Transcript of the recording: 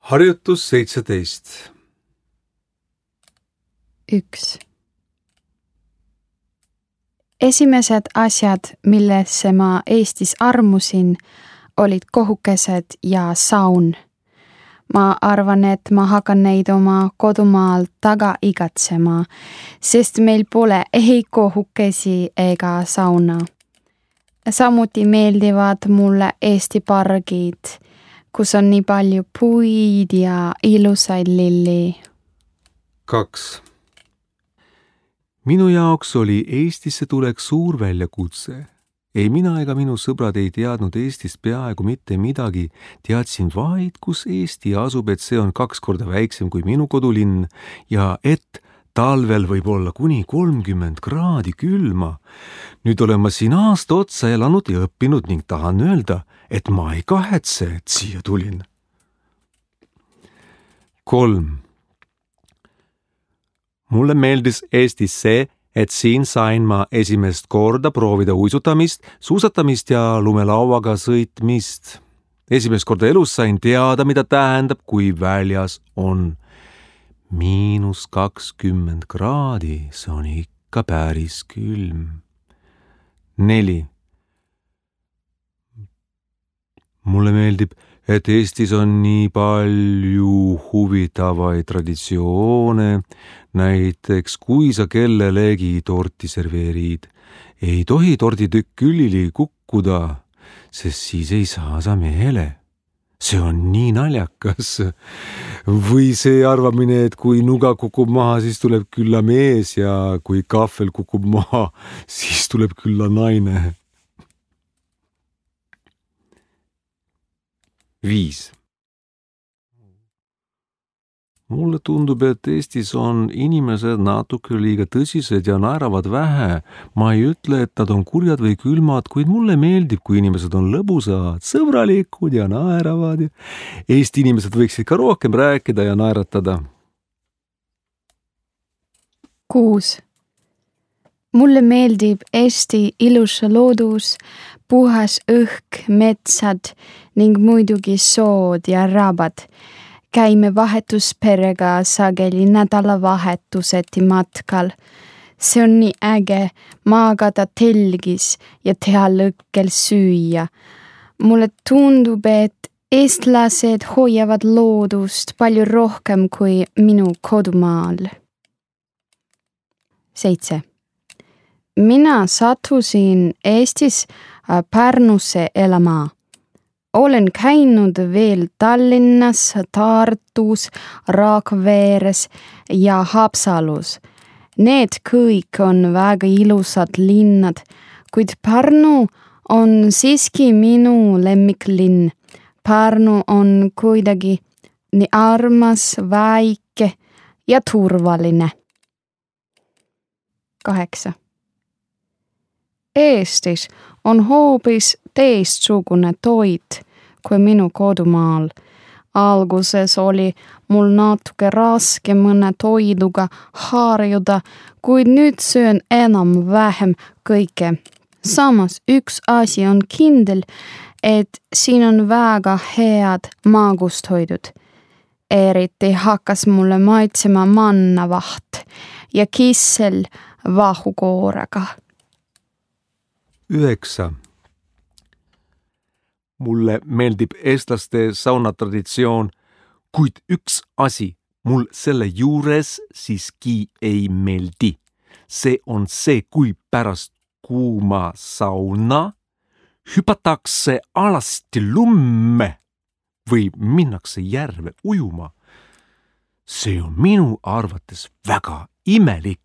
Harjutus 17. 1. Esimesed asjad, millesse ma Eestis armusin, olid kohukesed ja saun. Ma arvan, et ma hakkan neid oma kodumaal taga igatsema, sest meil pole ei kohukesi ega sauna. Samuti meeldivad mulle Eesti pargid, kus on nii palju puid ja ilusaid lilli. 2. Minu jaoks oli Eestisse tulek suur väljakutse. Ei mina ega minu sõbrad ei teadnud Eestist peaaegu mitte midagi, teadsin vaid, kus Eesti asub, et see on 2 korda väiksem kui minu kodulinn ja et talvel võib olla kuni 30 kraadi külma. Nüüd olen ma siin aasta otsa elanud ja õppinud ning tahan öelda, et ma ei kahetse, et siia tulin. 3. Mulle meeldis Eestis see, et siin sain ma esimest korda proovida uisutamist, suusatamist ja lumelauaga sõitmist. Esimest korda elus sain teada, mida tähendab, kui väljas on -20 kraadi, see on ikka päris külm. 4. Mulle meeldib, et Eestis on nii palju huvitavaid traditsioone, näiteks kui sa kellelegi torti serveerid, ei tohi torditükk külili kukkuda, sest siis ei saa sa mehele. See on nii naljakas. Või see arvamine, et kui nuga kukub maha, siis tuleb külla mees ja kui kahvel kukub maha, siis tuleb külla naine. 5. Mulle tundub, et Eestis on inimesed natuke liiga tõsised ja naeravad vähe. Ma ei ütle, et nad on kurjad või külmad, kuid mulle meeldib, kui inimesed on lõbusad, sõbralikud ja naeravad. Eesti inimesed võiksid ka rohkem rääkida ja naeratada. 6. Mulle meeldib Eesti ilus loodus, puhas õhk, metsad ning muidugi sood ja rabad. Käime vahetusperega sageli nädalavahetuseti matkal. See on nii äge maagada telgis ja teha lõkkel süüa. Mulle tundub, et eestlased hoiavad loodust palju rohkem kui minu kodumaal. 7. Mina sattusin Eestis Pärnusse elama. Olen käinud veel Tallinnas, Tartus, Rakveres ja Haapsalus. Need kõik on väga ilusad linnad, kuid Pärnu on siiski minu lemmiklinn. Pärnu on kuidagi nii armas, väike ja turvaline. 8. Eestis on hoopis teistsugune toit kui minu kodumaal. Alguses oli mul natuke raske mõne toiduga harjuda, kuid nüüd söön enam-vähem kõike. Samas üks asi on kindel, et siin on väga head magustoidud. Eriti hakkas mulle maitsema mannavaht ja kissel vahukoorega. 9. Mulle meeldib eestlaste saunatraditsioon, kuid üks asi mul selle juures siiski ei meeldi. See on see, kui pärast kuuma sauna hüpatakse alasti lumme või minnakse järve ujuma. See on minu arvates väga imelik.